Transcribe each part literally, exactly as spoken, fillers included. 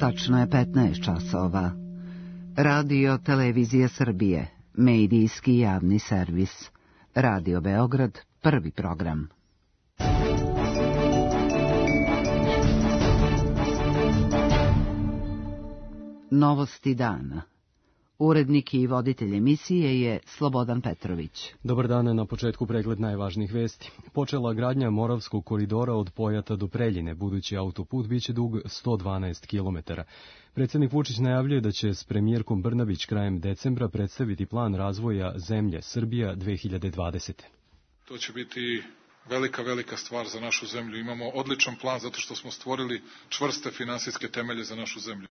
Tačno je petnaest časova. Radio Televizija Srbije, medijski javni servis. Radio Beograd, prvi program. Novosti dana. Urednik i voditelj emisije je Slobodan Petrović. Dobar dan, na početku pregled najvažnijih vesti. Počela gradnja Moravskog koridora od Pojata do Preljine. Budući autoput biće dug sto dvanaest kilometara. Predsjednik Vučić najavljuje da će s premijerkom Brnabić krajem decembra predstaviti plan razvoja zemlje Srbija dve hiljade dvadesete. To će biti velika, velika stvar za našu zemlju. Imamo odličan plan zato što smo stvorili čvrste finansijske temelje za našu zemlju.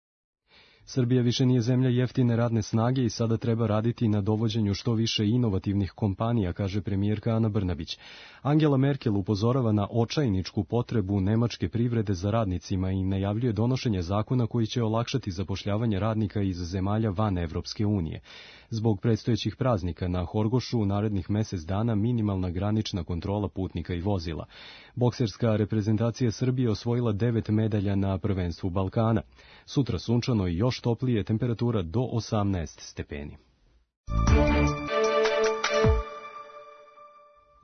Srbija više nije zemlja jeftine radne snage i sada treba raditi na dovođenju što više inovativnih kompanija, kaže premijerka Ana Brnabić. Angela Merkel upozorava na očajničku potrebu nemačke privrede za radnicima i najavljuje donošenje zakona koji će olakšati zapošljavanje radnika iz zemalja van Evropske unije. Zbog predstojećih praznika na Horgošu u narednih mesec dana minimalna granična kontrola putnika i vozila. Bokserska reprezentacija Srbije osvojila devet medalja na prvenstvu Balkana. Sutra sunčano i još toplije, temperatura do osamnaest stepeni.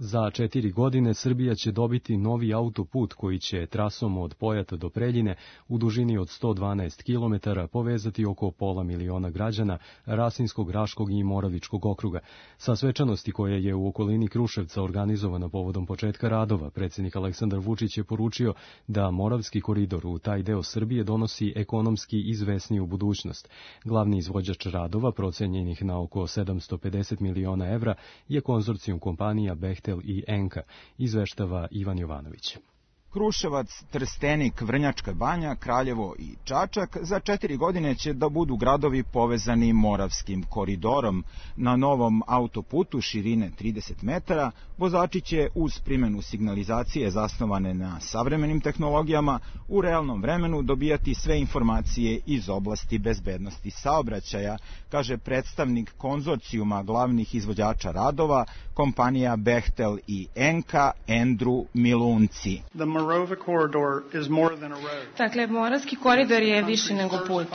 Za četiri godine Srbija će dobiti novi autoput koji će trasom od Pojata do Preljine u dužini od sto dvanaest kilometara povezati oko pola miliona građana Rasinskog, Raškog i Moravičkog okruga. Sa svečanosti koja je u okolini Kruševca organizovana povodom početka radova, predsjednik Aleksandar Vučić je poručio da Moravski koridor u taj deo Srbije donosi ekonomski izvesniju budućnost. Glavni izvođač radova, procenjenih na oko sedamsto pedeset miliona evra, je konzorcijum kompanija Bechtel i Enka, izveštava Ivan Jovanović. Kruševac, Trstenik, Vrnjačka Banja, Kraljevo i Čačak za četiri godine će da budu gradovi povezani Moravskim koridorom. Na novom autoputu širine trideset metara vozači će uz primjenu signalizacije zasnovane na savremenim tehnologijama u realnom vremenu dobijati sve informacije iz oblasti bezbednosti saobraćaja, kaže predstavnik konzorcijuma glavnih izvođača radova, kompanija Bechtel i Enka, Andrew Milunci. Dakle, Moravski koridor je više nego put.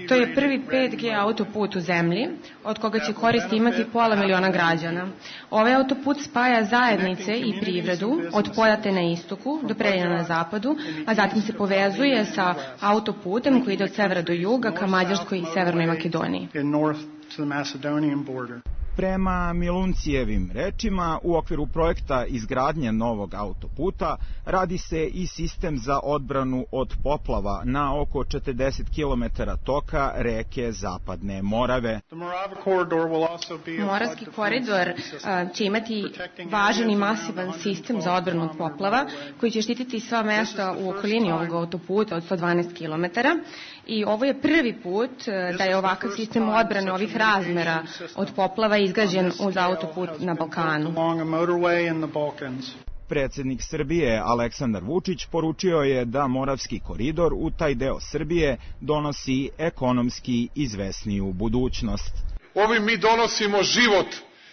To je prvi pet G autoput u zemlji, od koga će koristi imati pola miliona građana. Ovaj autoput spaja zajednice i privredu od Pojate na istoku do Preljina na zapadu, a zatim se povezuje sa autoputem koji ide od severa do juga ka Mađarskoj i Severnoj Makedoniji. Prema Miluncijevim rečima, u okviru projekta izgradnje novog autoputa radi se i sistem za odbranu od poplava na oko četrdeset kilometara toka reke Zapadne Morave. Moravski koridor će imati važan i masivan sistem za odbranu od poplava koji će štititi sva mesta u okolini ovog autoputa od sto dvanaest kilometara. I ovo je prvi put da je ovakav sistem odbrane ovih razmera od poplava izgrađen uz autoput na Balkanu. Predsjednik Srbije Aleksandar Vučić poručio je da Moravski koridor u taj deo Srbije donosi ekonomski izvesniju budućnost. Ovim mi donosimo život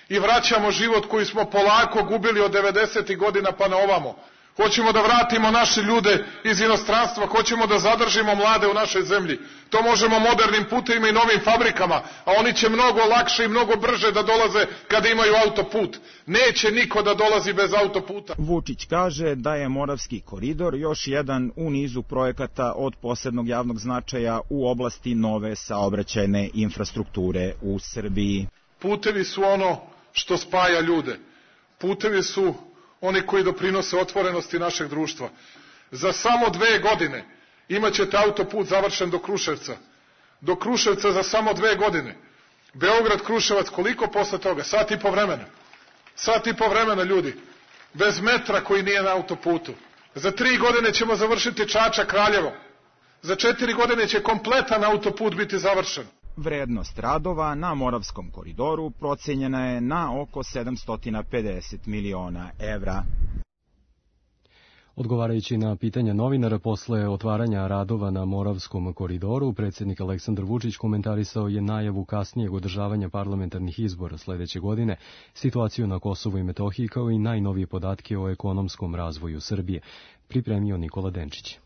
i vraćamo život koji smo polako gubili od devedesetih godina pa na ovamo. Hoćemo da vratimo naše ljude iz inostranstva, hoćemo da zadržimo mlade u našoj zemlji. To možemo modernim putevima i novim fabrikama, a oni će mnogo lakše i mnogo brže da dolaze kada imaju autoput. Neće niko da dolazi bez autoputa. Vučić kaže da je Moravski koridor još jedan u nizu projekata od posebnog javnog značaja u oblasti nove saobraćajne infrastrukture u Srbiji. Putevi su ono što spaja ljude. Putevi su oni koji doprinose otvorenosti našeg društva. Za samo dve godine imaćete autoput završen do Kruševca. Do Kruševca za samo dve godine. Beograd-Kruševac, koliko posle toga? Sat i po vremena. Sat i po vremena, ljudi. Bez metra koji nije na autoputu. Za tri godine ćemo završiti Čačak-Kraljevo. Za četiri godine će kompletan autoput biti završen. Vrednost radova na Moravskom koridoru procenjena je na oko sedamsto pedeset miliona evra. Odgovarajući na pitanja novinara posle otvaranja radova na Moravskom koridoru, predsjednik Aleksandar Vučić komentarisao je najavu kasnijeg održavanja parlamentarnih izbora sledeće godine, situaciju na Kosovu i Metohiji kao i najnovije podatke o ekonomskom razvoju Srbije. Pripremio Nikola Denčić.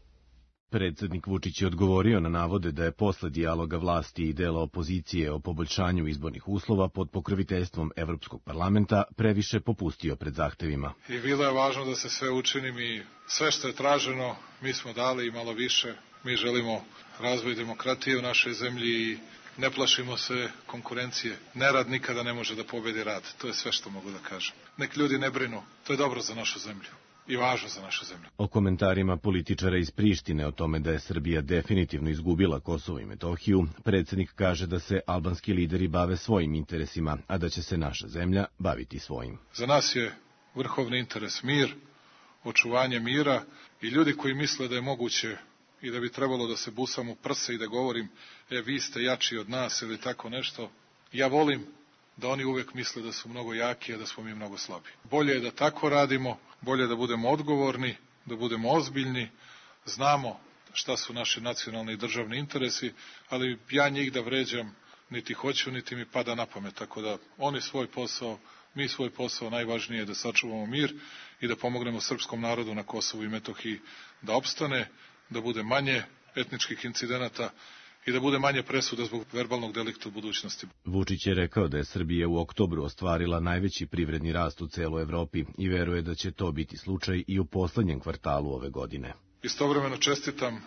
Predsednik Vučić je odgovorio na navode da je posle dijaloga vlasti i dela opozicije o poboljšanju izbornih uslova pod pokroviteljstvom Evropskog parlamenta previše popustio pred zahtevima. I bilo je važno da se sve učini, mi sve što je traženo, mi smo dali i malo više. Mi želimo razvoj demokratije u našoj zemlji i ne plašimo se konkurencije. Nerad nikada ne može da pobedi rad. To je sve što mogu da kažem. Nek ljudi ne brinu. To je dobro za našu zemlju i važno za našu zemlju. O komentarima političara iz Prištine o tome da je Srbija definitivno izgubila Kosovo i Metohiju, predsednik kaže da se albanski lideri bave svojim interesima, a da će se naša zemlja baviti svojim. Za nas je vrhovni interes mir, očuvanje mira i ljudi koji misle da je moguće i da bi trebalo da se busam u prse i da govorim, e, vi ste jači od nas ili tako nešto, ja volim da oni uvek misle da su mnogo jaki, a da smo mi mnogo slabi. Bolje je da tako radimo, bolje je da budemo odgovorni, da budemo ozbiljni, znamo šta su naši nacionalni i državni interesi, ali ja njih da vređam niti hoću, niti mi pada na pamet, tako da oni svoj posao, mi svoj posao, najvažnije je da sačuvamo mir i da pomognemo srpskom narodu na Kosovu i Metohiji da opstane, da bude manje etničkih incidenata i da bude manje presuda zbog verbalnog delikta u budućnosti. Vučić je rekao da je Srbija u oktobru ostvarila najveći privredni rast u celoj Evropi i veruje da će to biti slučaj i u poslednjem kvartalu ove godine. Istovremeno čestitam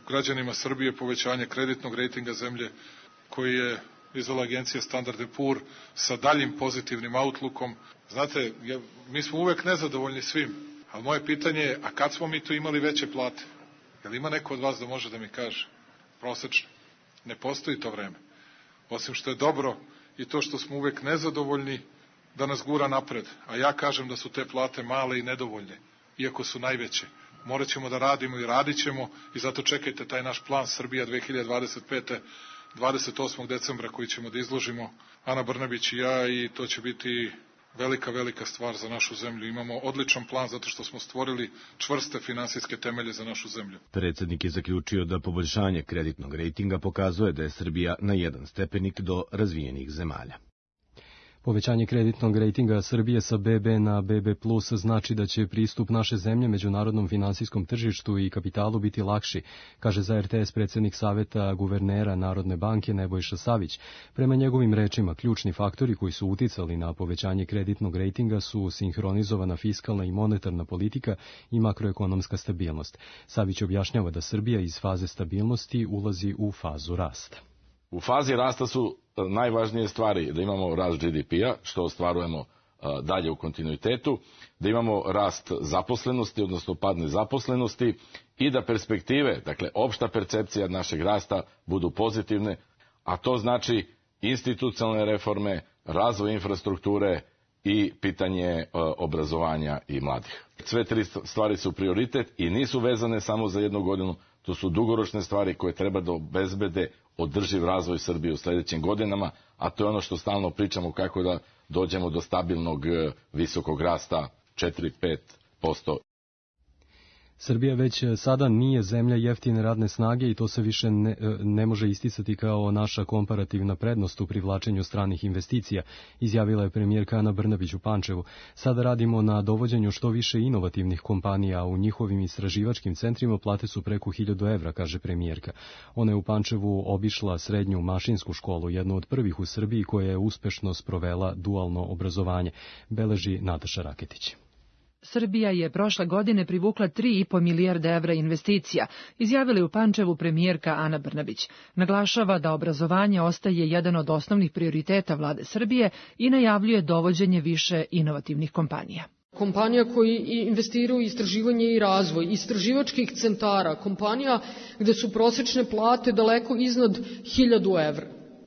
građanima Srbije povećanje kreditnog rejtinga zemlje koji je izdala agencija Standard and Poor sa daljim pozitivnim outlookom. Znate, ja, mi smo uvek nezadovoljni svim, ali moje pitanje je, a kad smo mi tu imali veće plate? Je li ima neko od vas da može da mi kaže? Prosečno. Ne postoji to vreme. Osim što je dobro i to što smo uvek nezadovoljni da nas gura napred. A ja kažem da su te plate male i nedovoljne, iako su najveće. Morat ćemo da radimo i radit ćemo i zato čekajte taj naš plan Srbija dve hiljade dvadeset pete. dvadeset osmog decembra koji ćemo da izložimo Ana Brnabić i ja i to će biti velika, velika stvar za našu zemlju. Imamo odličan plan zato što smo stvorili čvrste finansijske temelje za našu zemlju. Predsednik je zaključio da poboljšanje kreditnog rejtinga pokazuje da je Srbija na jedan stepenik do razvijenih zemalja. Povećanje kreditnog rejtinga Srbije sa be be na be be plus znači da će pristup naše zemlje međunarodnom finansijskom tržištu i kapitalu biti lakši, kaže za er te es predsednik Saveta guvernera Narodne banke Nebojša Savić. Prema njegovim rečima, ključni faktori koji su uticali na povećanje kreditnog rejtinga su sinhronizovana fiskalna i monetarna politika i makroekonomska stabilnost. Savić objašnjava da Srbija iz faze stabilnosti ulazi u fazu rasta. U fazi rasta su najvažnije stvari da imamo rast ge de pe-a, što ostvarujemo dalje u kontinuitetu, da imamo rast zaposlenosti, odnosno pad nezaposlenosti i da perspektive, dakle opšta percepcija našeg rasta budu pozitivne, a to znači institucionalne reforme, razvoj infrastrukture i pitanje obrazovanja i mladih. Sve tri stvari su prioritet i nisu vezane samo za jednu godinu, to su dugoročne stvari koje treba da obezbede održiv razvoj Srbije u sledećim godinama, a to je ono što stalno pričamo kako da dođemo do stabilnog visokog rasta četiri do pet posto. Srbija već sada nije zemlja jeftine radne snage i to se više ne, ne može isticati kao naša komparativna prednost u privlačenju stranih investicija, izjavila je premijerka Ana Brnabić u Pančevu. Sada radimo na dovođenju što više inovativnih kompanija, a u njihovim istraživačkim centrima plate su preko hiljadu evra, kaže premijerka. Ona je u Pančevu obišla srednju mašinsku školu, jednu od prvih u Srbiji koja je uspešno sprovela dualno obrazovanje, beleži Nataša Raketić. Srbija je prošle godine privukla tri i po milijarde evra investicija, izjavila je u Pančevu premijerka Ana Brnabić. Naglašava da obrazovanje ostaje jedan od osnovnih prioriteta vlade Srbije i najavljuje dovođenje više inovativnih kompanija. Kompanija koji investiraju u istraživanje i razvoj, istraživačkih centara, kompanija gde su prosečne plate daleko iznad hiljadu evra.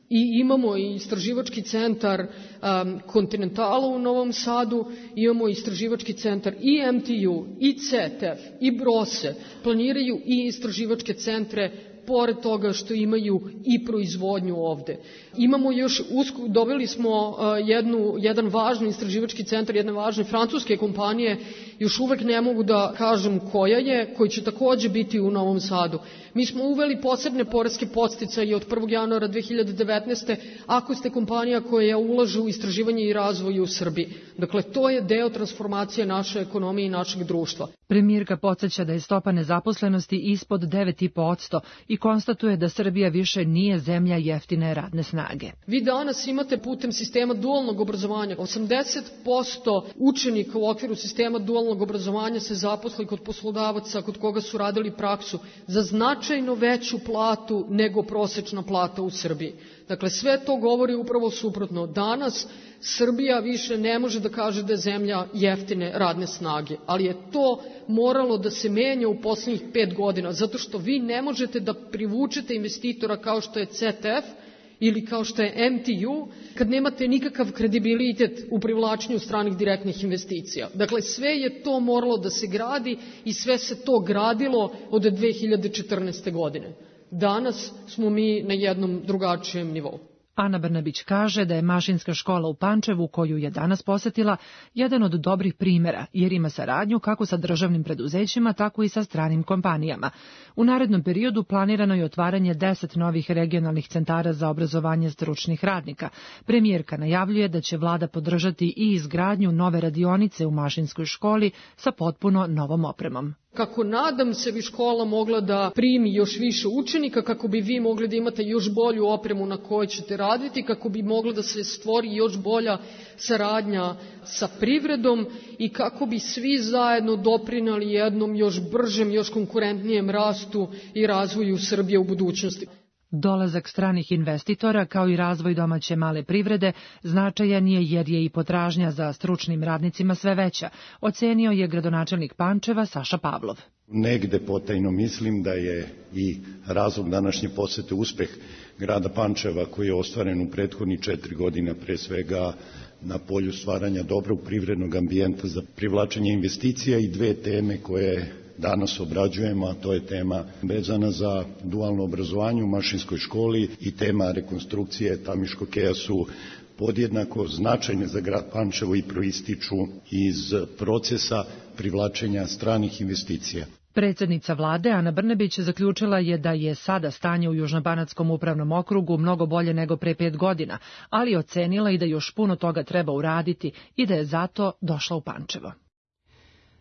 I imamo i istraživački centar um, Continentala u Novom Sadu, imamo istraživački centar i em te u, i ce te ef, i Brose, planiraju i istraživačke centre pored toga što imaju i proizvodnju ovde. Imamo još, usko, dobili smo uh, jednu, jedan važni istraživački centar, jedne važne francuske kompanije, još uvek ne mogu da kažem koja je, koji će takođe biti u Novom Sadu. Mi smo uveli posebne poreske podsticaje od prvog januara dve hiljade devetnaeste. ako ste kompanija koja ulaže u istraživanje i razvoj u Srbiji. Dakle, to je deo transformacije naše ekonomije i našeg društva. Premijerka podsjeća da je stopa nezaposlenosti ispod devet i po posto i konstatuje da Srbija više nije zemlja jeftine radne snage. Vi danas imate putem sistema dualnog obrazovanja osamdeset posto učenika u okviru sistema dualnog obrazovanja se zaposli kod poslodavaca kod koga su radili praksu za značajno veću platu nego prosečna plata u Srbiji. Dakle, sve to govori upravo suprotno. Danas Srbija više ne može da kaže da je zemlja jeftine radne snage, ali je to moralo da se menja u poslednjih pet godina, zato što vi ne možete da privučete investitora kao što je C T F ili kao što je M T U, kad nemate nikakav kredibilitet u privlačenju stranih direktnih investicija. Dakle, sve je to moralo da se gradi i sve se to gradilo od dve hiljade četrnaeste. godine. Danas smo mi na jednom drugačijem nivou. Ana Brnabić kaže da je mašinska škola u Pančevu, koju je danas posetila, jedan od dobrih primjera, jer ima saradnju kako sa državnim preduzećima, tako i sa stranim kompanijama. U narednom periodu planirano je otvaranje deset novih regionalnih centara za obrazovanje stručnih radnika. Premijerka najavljuje da će vlada podržati i izgradnju nove radionice u mašinskoj školi sa potpuno novom opremom. Kako nadam se bi škola mogla da primi još više učenika, kako bi vi mogli da imate još bolju opremu na kojoj ćete raditi, kako bi mogla da se stvori još bolja saradnja sa privredom i kako bi svi zajedno doprinali jednom još bržem, još konkurentnijem rastu i razvoju Srbije u budućnosti. Dolazak stranih investitora kao i razvoj domaće male privrede značajan je jer je i potražnja za stručnim radnicima sve veća, ocenio je gradonačelnik Pančeva Saša Pavlov. Negde potajno mislim da je i razlog današnje posete uspeh grada Pančeva koji je ostvaren u prethodnih četiri godine, pre svega na polju stvaranja dobrog privrednog ambijenta za privlačenje investicija i dve teme koje danas obrađujemo, a to je tema vezana za dualno obrazovanje u mašinskoj školi i tema rekonstrukcije Tamiškog keja su podjednako značajne za grad Pančevo i proističu iz procesa privlačenja stranih investicija. Predsjednica vlade Ana Brnabić zaključila je da je sada stanje u Južnobanatskom upravnom okrugu mnogo bolje nego pre pet godina, ali ocenila i da još puno toga treba uraditi i da je zato došla u Pančevo.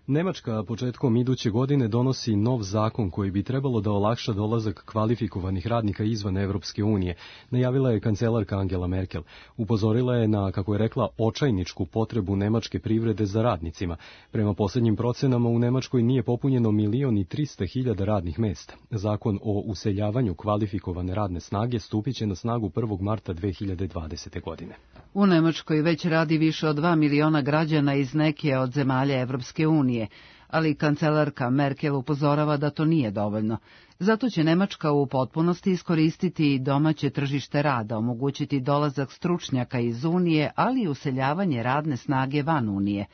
Nemačka početkom iduće godine donosi nov zakon koji bi trebalo da olakša dolazak kvalifikovanih radnika izvan Evropske unije, najavila je kancelarka Angela Merkel. Upozorila je na, kako je rekla, očajničku potrebu nemačke privrede za radnicima. Prema posljednjim procenama u Nemačkoj nije popunjeno milion i trista hiljada radnih mesta. Zakon o useljavanju kvalifikovane radne snage stupit će na snagu prvog marta dve hiljade dvadesete. godine. U Nemačkoj već radi više od dva miliona građana iz neke od zemalja Evropske unije, ali kancelarka Merkel upozorava da to nije dovoljno. Zato će Nemačka u potpunosti iskoristiti domaće tržište rada, omogućiti dolazak stručnjaka iz Unije, ali i useljavanje radne snage van Unije.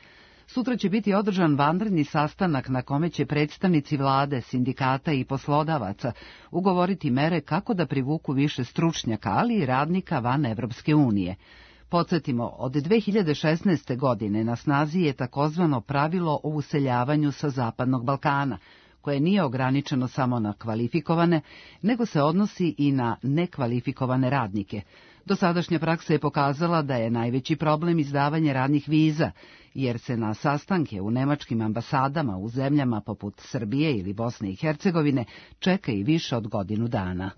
Sutra će biti održan vanredni sastanak na kome će predstavnici vlade, sindikata i poslodavaca ugovoriti mere kako da privuku više stručnjaka, ali i radnika van Evropske unije. Podsjetimo, od dve hiljade šesnaeste. godine na snazi je takozvano pravilo o useljavanju sa Zapadnog Balkana, koje nije ograničeno samo na kvalifikovane, nego se odnosi i na nekvalifikovane radnike. Dosadašnja praksa je pokazala da je najveći problem izdavanje radnih viza, jer se na sastanke u nemačkim ambasadama u zemljama poput Srbije ili Bosne i Hercegovine čeka i više od godinu dana.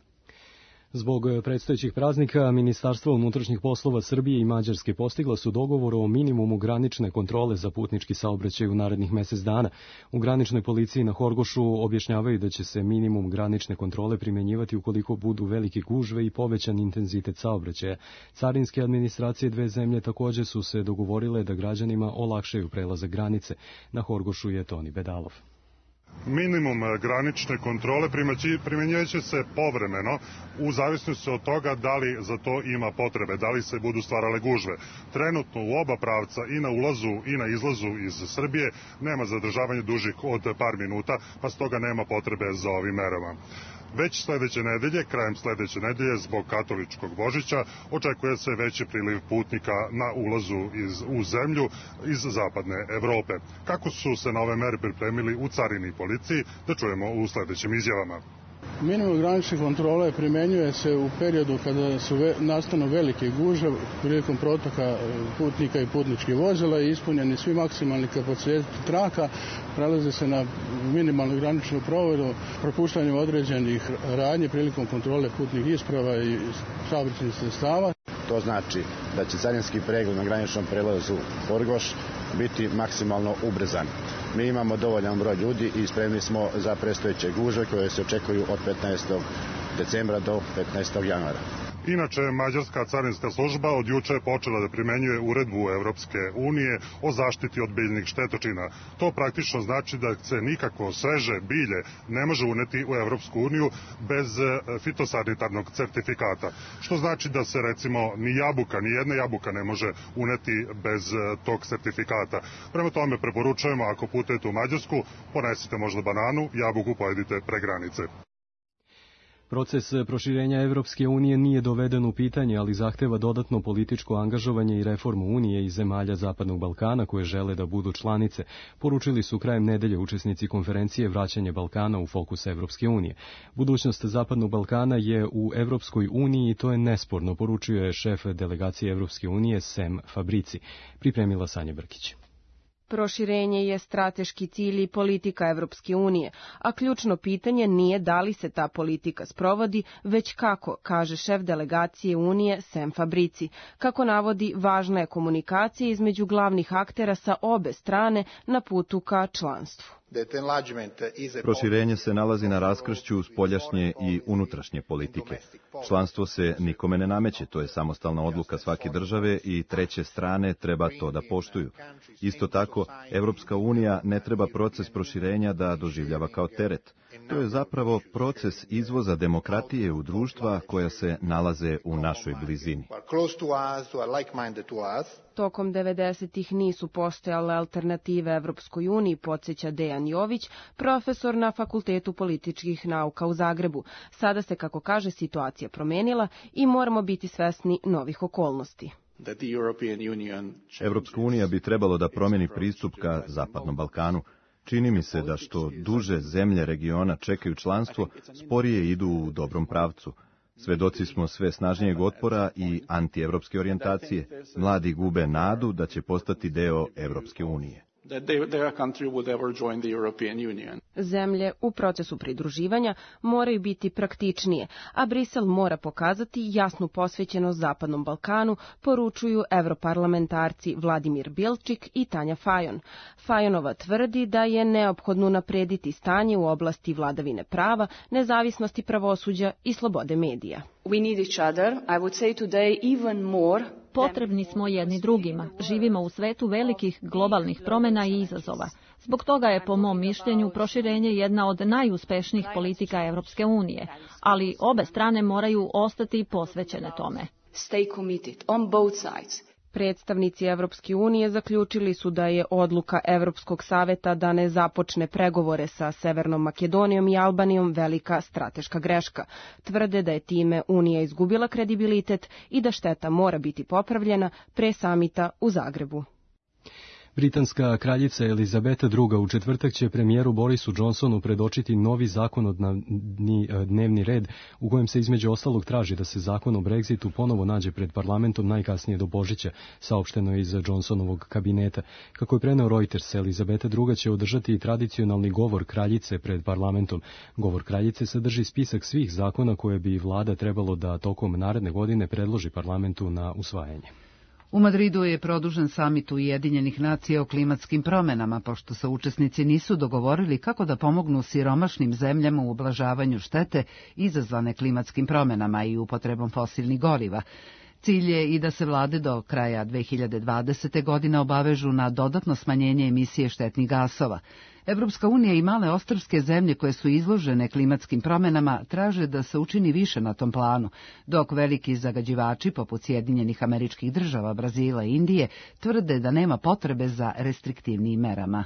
Zbog predstojećih praznika, Ministarstvo unutrašnjih poslova Srbije i Mađarske postigla su dogovor o minimumu granične kontrole za putnički saobraćaj u narednih mesec dana. U graničnoj policiji na Horgošu objašnjavaju da će se minimum granične kontrole primjenjivati ukoliko budu velike gužve i povećan intenzitet saobraćaja. Carinske administracije dve zemlje također su se dogovorile da građanima olakšaju prelazak granice. Na Horgošu je Toni Bedalov. Minimum granične kontrole primjenjivat će se povremeno u zavisnosti od toga da li za to ima potrebe, da li se budu stvarale gužve. Trenutno u oba pravca i na ulazu i na izlazu iz Srbije nema zadržavanja dužih od par minuta, pa stoga nema potrebe za ovim merama. Već sledeće nedelje, krajem sledeće nedelje, zbog katoličkog Božića, očekuje se veći priliv putnika na ulazu iz, u zemlju iz zapadne Evrope. Kako su se na ove mere pripremili u carini i policiji, da čujemo u sledećim izjavama. Minimum granične kontrole primenjuje se u periodu kada su ve, nastanu velike gužve prilikom protoka putnika i putničkih vozila i ispunjeni svi maksimalni kapaciteti traka, prelaze se na minimalnu graničnu proveru propuštanjem određenih radnji prilikom kontrole putnih isprava i saobraćajnih sredstava. To znači da će carinski pregled na graničnom prelazu Horgoš biti maksimalno ubrzan. Mi imamo dovoljan broj ljudi i spremni smo za predstojeće gužve koje se očekuju od petnaestog decembra do petnaestog januara. Inače, Mađarska carinska služba od juče je počela da primenjuje uredbu Evropske unije o zaštiti od biljnih štetočina. To praktično znači da se nikako sveže bilje ne može uneti u Evropsku uniju bez fitosanitarnog certifikata. Što znači da se recimo ni jabuka, ni jedna jabuka ne može uneti bez tog certifikata. Prema tome preporučujemo, ako putujete u Mađarsku, ponesite možda bananu, jabuku pojedite pre granice. Proces proširenja Evropske unije nije doveden u pitanje, ali zahteva dodatno političko angažovanje i reformu Unije i zemalja Zapadnog Balkana koje žele da budu članice, poručili su krajem nedelje učesnici konferencije Vraćanje Balkana u fokus Evropske unije. Budućnost Zapadnog Balkana je u Evropskoj uniji i to je nesporno, poručio je šef delegacije Evropske unije Sem Fabrici. Pripremila Sanja Brkić. Proširenje je strateški cilj i politika Evropske unije, a ključno pitanje nije da li se ta politika sprovodi, već kako, kaže šef delegacije Unije Sem Fabrici. Kako navodi, važna je komunikacija između glavnih aktera sa obe strane na putu ka članstvu. Proširenje se nalazi na raskršću spoljašnje i unutrašnje politike. Članstvo se nikome ne nameće, to je samostalna odluka svake države i treće strane treba to da poštuju. Isto tako, Evropska unija ne treba proces proširenja da doživljava kao teret. To je zapravo proces izvoza demokratije u društva koja se nalaze u našoj blizini. Tokom devedesetih nisu postojale alternative Evropskoj uniji, podsjeća Dejan Jović, profesor na Fakultetu političkih nauka u Zagrebu. Sada se, kako kaže, situacija promenila i moramo biti svesni novih okolnosti. Evropska unija bi trebalo da promeni pristup ka Zapadnom Balkanu. Čini mi se da što duže zemlje regiona čekaju članstvo, sporije idu u dobrom pravcu. Svedoci smo sve snažnijeg otpora i antievropske orijentacije. Mladi gube nadu da će postati deo Evropske unije. Zemlje u procesu pridruživanja moraju biti praktičnije, a Brisel mora pokazati jasnu posvećenost Zapadnom Balkanu, poručuju evroparlamentarci Vladimir Bilčik i Tanja Fajon. Fajonova tvrdi da je neophodno naprediti stanje u oblasti vladavine prava, nezavisnosti pravosuđa i slobode medija. We need each other, I would say today even more. Potrebni smo jedni drugima. Živimo u svetu velikih globalnih promjena i izazova. Zbog toga je, po mom mišljenju, proširenje jedna od najuspešnijih politika Evropske unije, ali obe strane moraju ostati posvećene tome. Stay committed on both sides. Predstavnici Evropske unije zaključili su da je odluka Evropskog saveta da ne započne pregovore sa Severnom Makedonijom i Albanijom velika strateška greška. Tvrde da je time Unija izgubila kredibilitet i da šteta mora biti popravljena pre samita u Zagrebu. Britanska kraljica Elizabeta druga u četvrtak će premijeru Borisu Johnsonu predočiti novi zakonodavni dnevni red u kojem se između ostalog traži da se zakon o Brexitu ponovo nađe pred parlamentom najkasnije do Božića, saopšteno je iz Johnsonovog kabineta. Kako je preneo Reuters, Elizabeta druga će održati tradicionalni govor kraljice pred parlamentom. Govor kraljice sadrži spisak svih zakona koje bi vlada trebalo da tokom naredne godine predloži parlamentu na usvajanje. U Madridu je produžen samit Ujedinjenih nacija o klimatskim promenama, pošto se učesnici nisu dogovorili kako da pomognu siromašnim zemljama u ublažavanju štete izazvane klimatskim promenama i upotrebom fosilnih goriva. Cilj je i da se vlade do kraja dve hiljade dvadesete. godine obavežu na dodatno smanjenje emisije štetnih gasova. Evropska unija i male ostrvske zemlje koje su izložene klimatskim promenama traže da se učini više na tom planu, dok veliki zagađivači poput Sjedinjenih Američkih Država, Brazila i Indije tvrde da nema potrebe za restriktivnijim merama.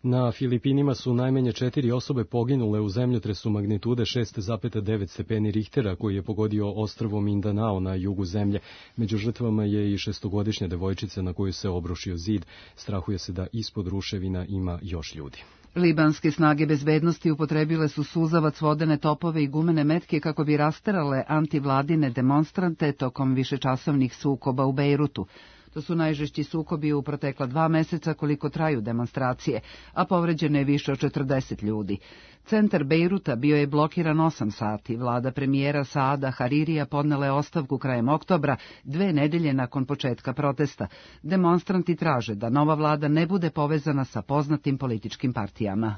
Na Filipinima su najmanje četiri osobe poginule u zemljotresu magnitude šest zarez devet stepeni Richtera koji je pogodio ostrvo Mindanao na jugu zemlje. Među žrtvama je i šestogodišnja devojčica na koju se obrušio zid. Strahuje se da ispod ruševina ima još ljudi. Libanske snage bezbednosti upotrebile su suzavac, vodene topove i gumene metke kako bi rasterale antivladine demonstrante tokom višečasovnih sukoba u Bejrutu. To su najžešći sukobi u protekla dva meseca koliko traju demonstracije, a povređeno je više od četrdeset ljudi. Centar Bejruta bio je blokiran osam sati. Vlada premijera Saada Haririja podnela je ostavku krajem oktobra, dve nedelje nakon početka protesta. Demonstranti traže da nova vlada ne bude povezana sa poznatim političkim partijama.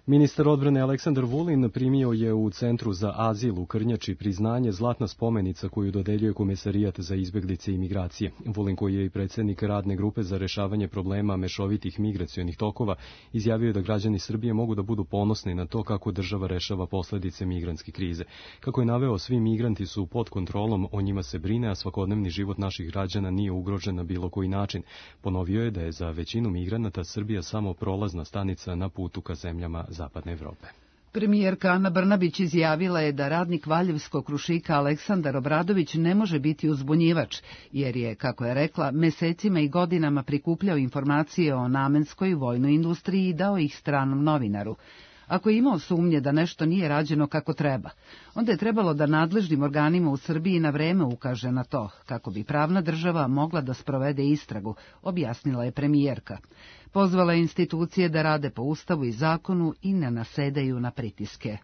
Ministar odbrane Aleksandar Vulin primio je u Centru za azil u Krnjači priznanje zlatna spomenica koju dodeljuje Komesarijat za izbeglice i migracije. Vulin, koji je i predsjednik radne grupe za rešavanje problema mešovitih migracionih tokova, izjavio je da građani Srbije mogu da budu ponosni na to kako država rešava posledice migrantske krize. Kako je naveo, svi migranti su pod kontrolom, o njima se brine, a svakodnevni život naših građana nije ugrožen na bilo koji način. Ponovio je da je za većinu migranata Srbija samo prolazna stanica na putu ka zemljama Zapadne Evrope. Premijerka Ana Brnabić izjavila je da radnik Valjevskog Krušika Aleksandar Obradović ne može biti uzbunjivač, jer je, kako je rekla, mesecima i godinama prikupljao informacije o namenskoj vojnoj industriji i dao ih stranom novinaru. Ako je imao sumnje da nešto nije rađeno kako treba, onda je trebalo da nadležnim organima u Srbiji na vreme ukaže na to, kako bi pravna država mogla da sprovede istragu, objasnila je premijerka. Pozvala je institucije da rade po Ustavu i zakonu i ne nasedaju na pritiske.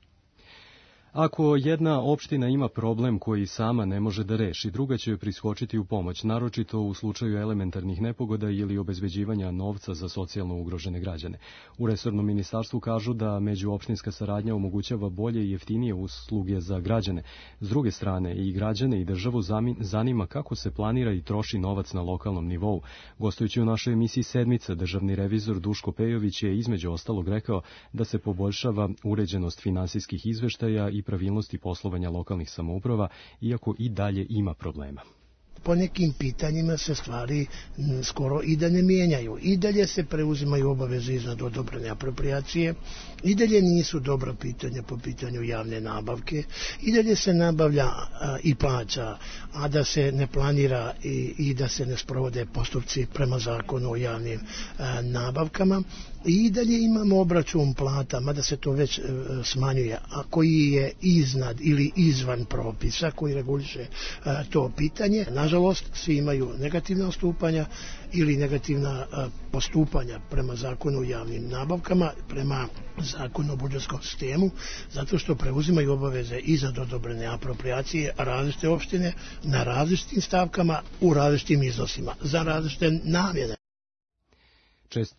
Ako jedna opština ima problem koji sama ne može da reši, druga će joj priskočiti u pomoć, naročito u slučaju elementarnih nepogoda ili obezbeđivanja novca za socijalno ugrožene građane. U resornom ministarstvu kažu da međuopštinska saradnja omogućava bolje i jeftinije usluge za građane. S druge strane, i građane i državu zanima kako se planira i troši novac na lokalnom nivou. Gostujući u našoj emisiji Sedmica, državni revizor Duško Pejović je između ostalog rekao da se poboljšava uređenost finansijskih izveštaja i pravilnosti poslovanja lokalnih samouprava, iako i dalje ima problema. Po nekim pitanjima se stvari skoro i da ne mijenjaju. I dalje se preuzimaju obaveze iznad odobrene apropriacije, i dalje nisu dobra pitanja po pitanju javne nabavke, i dalje se nabavlja a, i plaća, a da se ne planira i, i da se ne sprovode postupci prema zakonu o javnim a, nabavkama. I dalje imamo obračun plata, mada se to već e, smanjuje, a koji je iznad ili izvan propisa koji reguliše e, to pitanje. Nažalost, svi imaju negativna ostupanja ili negativna e, postupanja prema zakonu o javnim nabavkama, prema zakonu o budžetskom sistemu, zato što preuzimaju obaveze iznad odobrene apropriacije različite opštine na različitim stavkama u različitim iznosima za različite namjene. Čest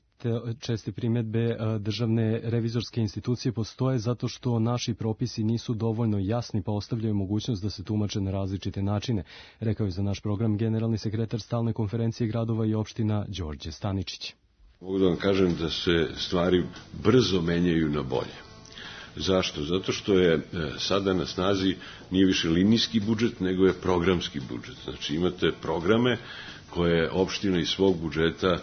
Česte primjedbe državne revizorske institucije postoje zato što naši propisi nisu dovoljno jasni pa ostavljaju mogućnost da se tumače na različite načine, rekao je za naš program generalni sekretar Stalne konferencije gradova i opština Đorđe Staničić. Mogu da vam kažem da se stvari brzo menjaju na bolje. Zašto? Zato što je sada na snazi nije više linijski budžet, nego je programski budžet. Znači imate programe koje opština iz svog budžeta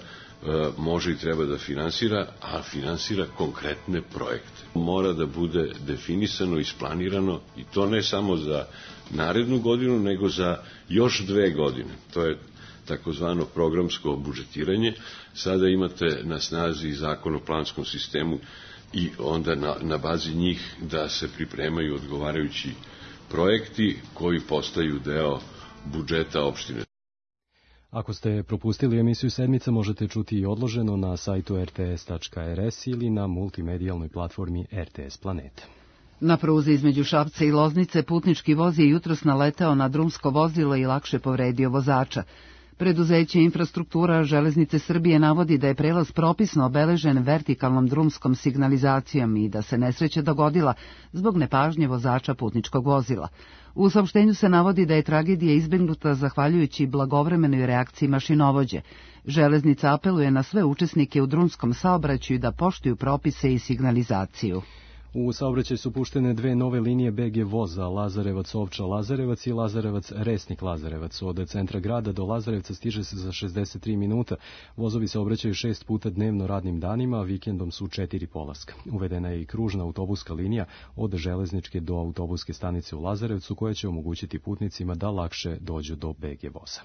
može i treba da finansira, a finansira konkretne projekte. Mora da bude definisano, isplanirano i to ne samo za narednu godinu, nego za još dve godine. To je takozvano programsko budžetiranje. Sada imate na snazi zakon o planskom sistemu i onda na, na bazi njih da se pripremaju odgovarajući projekti koji postaju deo budžeta opštine. Ako ste propustili emisiju Sedmica, možete čuti i odloženo na sajtu er te es tačka er es ili na multimedijalnoj platformi er te es Planeta. Na pruzi između Šapca i Loznice putnički voz je jutros naleteo na drumsko vozilo i lakše povredio vozača. Preduzeće Infrastruktura Železnice Srbije navodi da je prelaz propisno obeležen vertikalnom drumskom signalizacijom i da se nesreća dogodila zbog nepažnje vozača putničkog vozila. U saopštenju se navodi da je tragedija izbegnuta zahvaljujući blagovremenoj reakciji mašinovođe. Železnica apeluje na sve učesnike u drumskom saobraćaju da poštuju propise i signalizaciju. U saobraćaj su puštene dve nove linije be ge voza, Lazarevac-Ovča-Lazarevac i Lazarevac-Resnik-Lazarevac. Od centra grada do Lazarevca stiže se za šezdeset tri minuta. Vozovi se obraćaju šest puta dnevno radnim danima, a vikendom su četiri polaska. Uvedena je i kružna autobuska linija od železničke do autobuske stanice u Lazarevcu, koja će omogućiti putnicima da lakše dođu do be ge voza.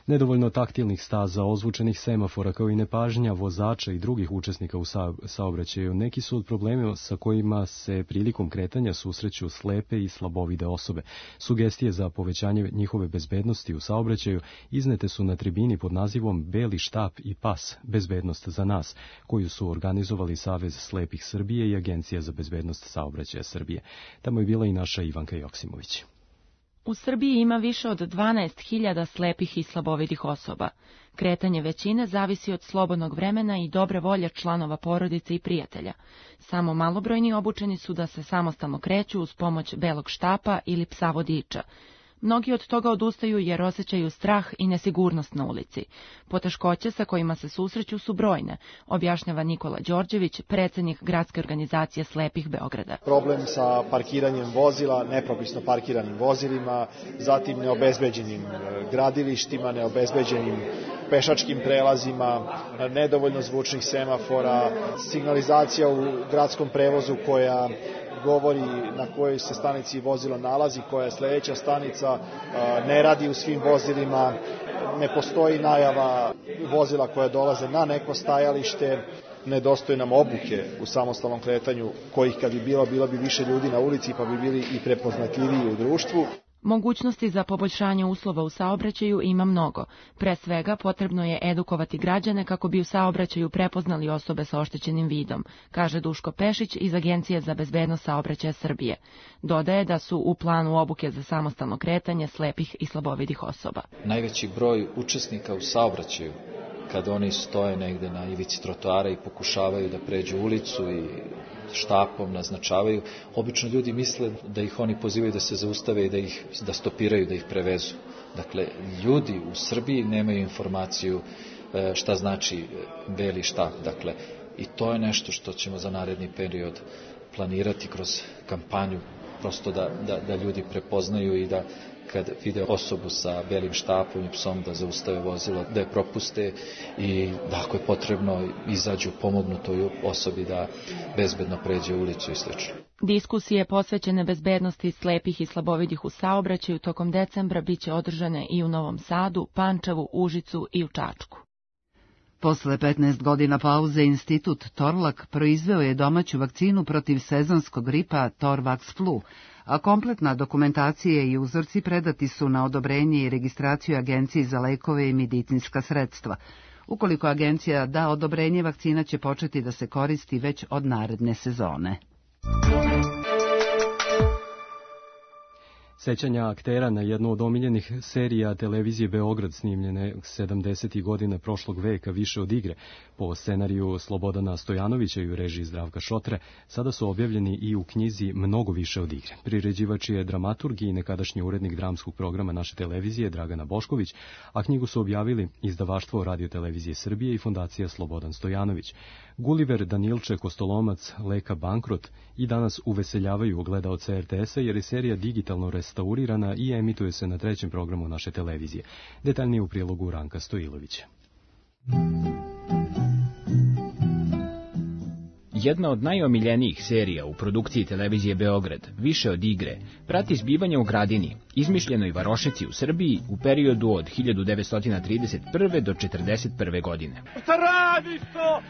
Nedovoljno taktilnih staza, ozvučenih semafora, kao i nepažnja vozača i drugih učesnika u saobraćaju neki su od problema sa kojima se prilikom kretanja susreću slepe i slabovide osobe. Sugestije za povećanje njihove bezbednosti u saobraćaju iznete su na tribini pod nazivom Beli štap i pas, bezbednost za nas, koju su organizovali Savez slepih Srbije i Agencija za bezbednost saobraćaja Srbije. Tamo je bila i naša Ivanka Joksimović. U Srbiji ima više od dvanaest hiljada slepih i slabovidih osoba. Kretanje većine zavisi od slobodnog vremena i dobre volje članova porodice i prijatelja. Samo malobrojni obučeni su da se samostalno kreću uz pomoć belog štapa ili psa vodiča. Mnogi od toga odustaju jer osjećaju strah i nesigurnost na ulici. Poteškoće sa kojima se susreću su brojne, objašnjava Nikola Đorđević, predsednik Gradske organizacije slepih Beograda. Problem sa parkiranjem vozila, nepropisno parkiranim vozilima, zatim neobezbeđenim gradilištima, neobezbeđenim pešačkim prelazima, nedovoljno zvučnih semafora, signalizacija u gradskom prevozu koja govori na kojoj se stanici vozilo nalazi, koja je sledeća stanica, ne radi u svim vozilima, ne postoji najava vozila koja dolaze na neko stajalište, nedostaje nam obuke u samostalnom kretanju, kojih kad bi bilo, bilo bi više ljudi na ulici pa bi bili i prepoznatljiviji u društvu. Mogućnosti za poboljšanje uslova u saobraćaju ima mnogo. Pre svega potrebno je edukovati građane kako bi u saobraćaju prepoznali osobe sa oštećenim vidom, kaže Duško Pešić iz Agencije za bezbednost saobraćaja Srbije. Dodaje da su u planu obuke za samostalno kretanje slepih i slabovidih osoba. Najveći broj učesnika u saobraćaju, kada oni stoje negde na ivici trotoara i pokušavaju da pređu ulicu i štapom naznačavaju, obično ljudi misle da ih oni pozivaju da se zaustave i da ih da stopiraju, da ih prevezu. Dakle, ljudi u Srbiji nemaju informaciju šta znači beli štap. Dakle, i to je nešto što ćemo za naredni period planirati kroz kampanju, prosto da, da, da ljudi prepoznaju i da kad vide osobu sa belim štapom i psom da zaustave vozilo, da je propuste i da ako je potrebno izađu pomognu toj osobi da bezbedno pređe ulicu i sl. Diskusije posvećene bezbednosti slepih i slabovidih u saobraćaju tokom decembra biće održane i u Novom Sadu, Pančevu, Užicu i u Čačku. Posle petnaest godina pauze, institut Torlak proizveo je domaću vakcinu protiv sezonskog gripa Torvax Flu, a kompletna dokumentacija i uzorci predati su na odobrenje i registraciju Agenciji za lekove i medicinska sredstva. Ukoliko agencija da odobrenje, vakcina će početi da se koristi već od naredne sezone. Sećanja aktera na jednu od omiljenih serija televizije Beograd snimljene sedamdesetih godina prošlog veka više od igre po scenariju Slobodana Stojanovića i u režiji Zdravka Šotre sada su objavljeni i u knjizi Mnogo više od igre. Priređivač je dramaturg i nekadašnji urednik dramskog programa naše televizije Dragana Bošković, a knjigu su objavili izdavaštvo Radio-televizije Srbije i fondacija Slobodan Stojanović. Guliver, Danilče, Kostolomac, Leka Bankrot i danas uveseljavaju gledaoce er te esa jer je serija digitalno restaurirana i emituje se na trećem programu naše televizije. Detaljnije u prilogu Ranka Stojilovića. Jedna od najomiljenijih serija u produkciji televizije Beograd, Više od igre, prati zbivanje u Gradini, izmišljenoj varošici u Srbiji u periodu od hiljadu devetsto trideset prve do četrdeset prve godine. Šta radiš to?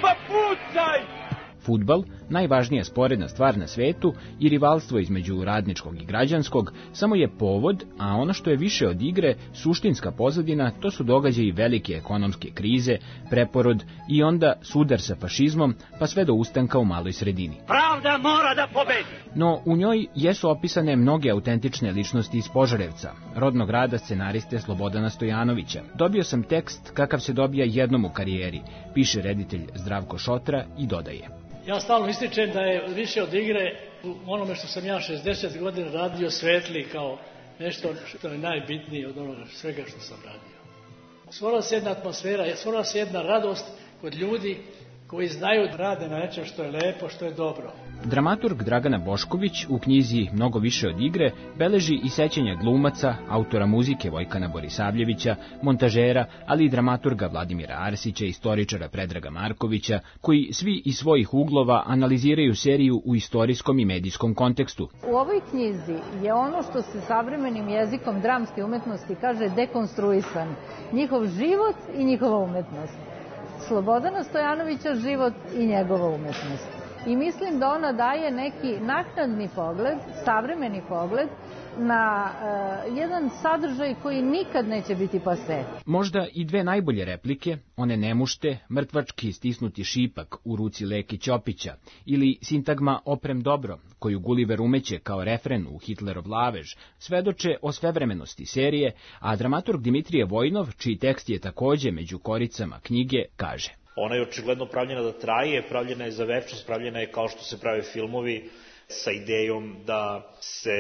Pa pucaj! Fudbal, najvažnija sporedna stvar na svetu i rivalstvo između radničkog i građanskog, samo je povod, a ono što je više od igre, suštinska pozadina, to su događaji velike ekonomske krize, preporod i onda sudar sa fašizmom, pa sve do ustanka u maloj sredini. Pravda mora da pobedi! No, u njoj jesu opisane mnoge autentične ličnosti iz Požarevca, rodnog rada scenariste Slobodana Stojanovića. Dobio sam tekst kakav se dobija jednom u karijeri, piše reditelj Zdravko Šotra i dodaje. Ja stalno ističem da je Više od igre u onome što sam ja šezdeset godina radio svetli kao nešto što je najbitnije od onoga svega što sam radio. Stvorila se jedna atmosfera, stvorila se jedna radost kod ljudi koji znaju da rade na nečem što je lepo, što je dobro. Dramaturg Dragana Bošković u knjizi Mnogo više od igre beleži i sećanja glumaca, autora muzike Vojkana Borisavljevića, montažera, ali i dramaturga Vladimira Arsića, istoričara Predraga Markovića, koji svi iz svojih uglova analiziraju seriju u istorijskom i medijskom kontekstu. U ovoj knjizi je ono što se savremenim jezikom dramske umetnosti kaže dekonstruisan, njihov život i njihova umetnost. Slobodana Stojanovića život i njegova umetnost. I mislim da ona daje neki naknadni pogled, savremeni pogled, na uh, jedan sadržaj koji nikad neće biti pase. Možda i dve najbolje replike, one nemušte, mrtvački stisnuti šipak u ruci Leki Ćopića, ili sintagma oprem dobro, koju Gulliver umeće kao refren u Hitlerov lavež, svedoče o svevremenosti serije, a dramaturg Dimitrije Vojnov, čiji tekst je takođe među koricama knjige, kaže: Ona je očigledno pravljena da traje, pravljena je za večnost, pravljena je kao što se prave filmovi, sa idejom da se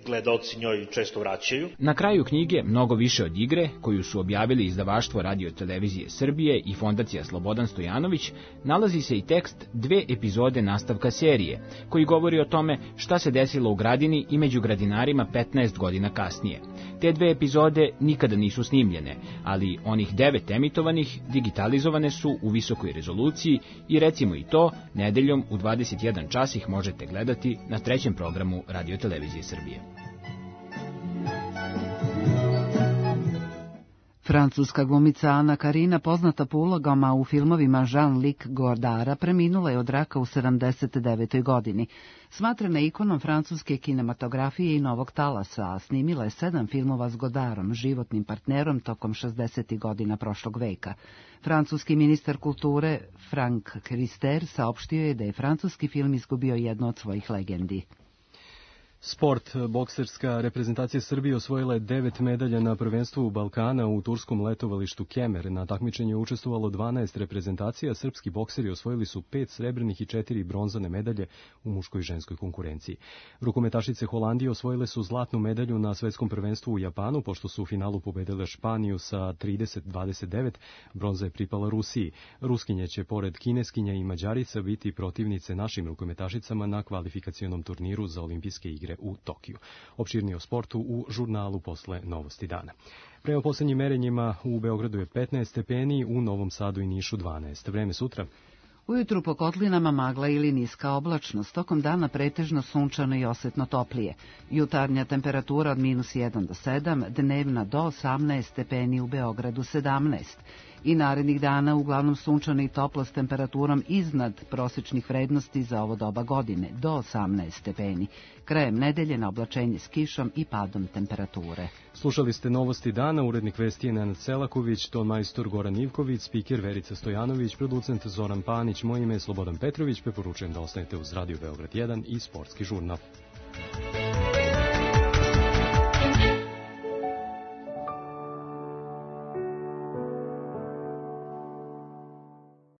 gledaoci njoj često vraćaju. Na kraju knjige Mnogo više od igre, koju su objavili izdavaštvo Radio televizije Srbije i Fondacija Slobodan Stojanović, nalazi se i tekst dve epizode nastavka serije, koji govori o tome šta se desilo u Gradini i među gradinarima petnaest godina kasnije. Te dve epizode nikada nisu snimljene, ali onih devet emitovanih digitalizovane su u visokoj rezoluciji i recimo i to, nedeljom u dvadeset jedan čas ih možete gledati na trećem programu Radio televizije Srbije. Francuska glumica Ana Karina, poznata po ulogama u filmovima Jean-Luc Godara, preminula je od raka u sedamdeset devetoj godini. Smatrana je ikonom francuske kinematografije i novog talasa, a snimila je sedam filmova s Godarom, životnim partnerom, tokom šezdesetih godina prošlog veka. Francuski ministar kulture Franck Riester saopštio je da je francuski film izgubio jednu od svojih legendi. Sport. Bokserska reprezentacija Srbije osvojila je devet medalja na prvenstvu Balkana u turskom letovalištu Kemer. Na takmičenju je učestvovalo dvanaest reprezentacija, srpski bokseri osvojili su pet srebrnih i četiri bronzane medalje u muškoj i ženskoj konkurenciji. Rukometašice Holandije osvojile su zlatnu medalju na svetskom prvenstvu u Japanu, pošto su u finalu pobedile Španiju sa trideset dvadeset devet, bronza je pripala Rusiji. Ruskinje će pored Kineskinja i Mađarica biti protivnice našim rukometašicama na kvalifikacionom turniru za olimpijske igre u Tokiju. Opširnije o sportu u žurnalu posle Novosti dana. Prema poslednjim merenjima u Beogradu je petnaest stepeni, u Novom Sadu i Nišu dvanaest. Vreme sutra? Ujutru po kotlinama magla ili niska oblačnost, tokom dana pretežno sunčano i osetno toplije. Jutarnja temperatura od minus jedan do sedam, dnevna do osamnaest stepeni, u Beogradu sedamnaest. I narednih dana uglavnom sunčano i toplo s temperaturom iznad prosječnih vrednosti za ovo doba godine, do osamnaest stepeni. Krajem nedelje na oblačenje s kišom i padom temperature. Slušali ste Novosti dana, urednik vesti je Nenad Selaković, ton majstor Goran Ivković, spiker Verica Stojanović, producent Zoran Panić, moje ime je Slobodan Petrović, preporučujem da ostanete uz Radio Beograd jedan i Sportski žurnal.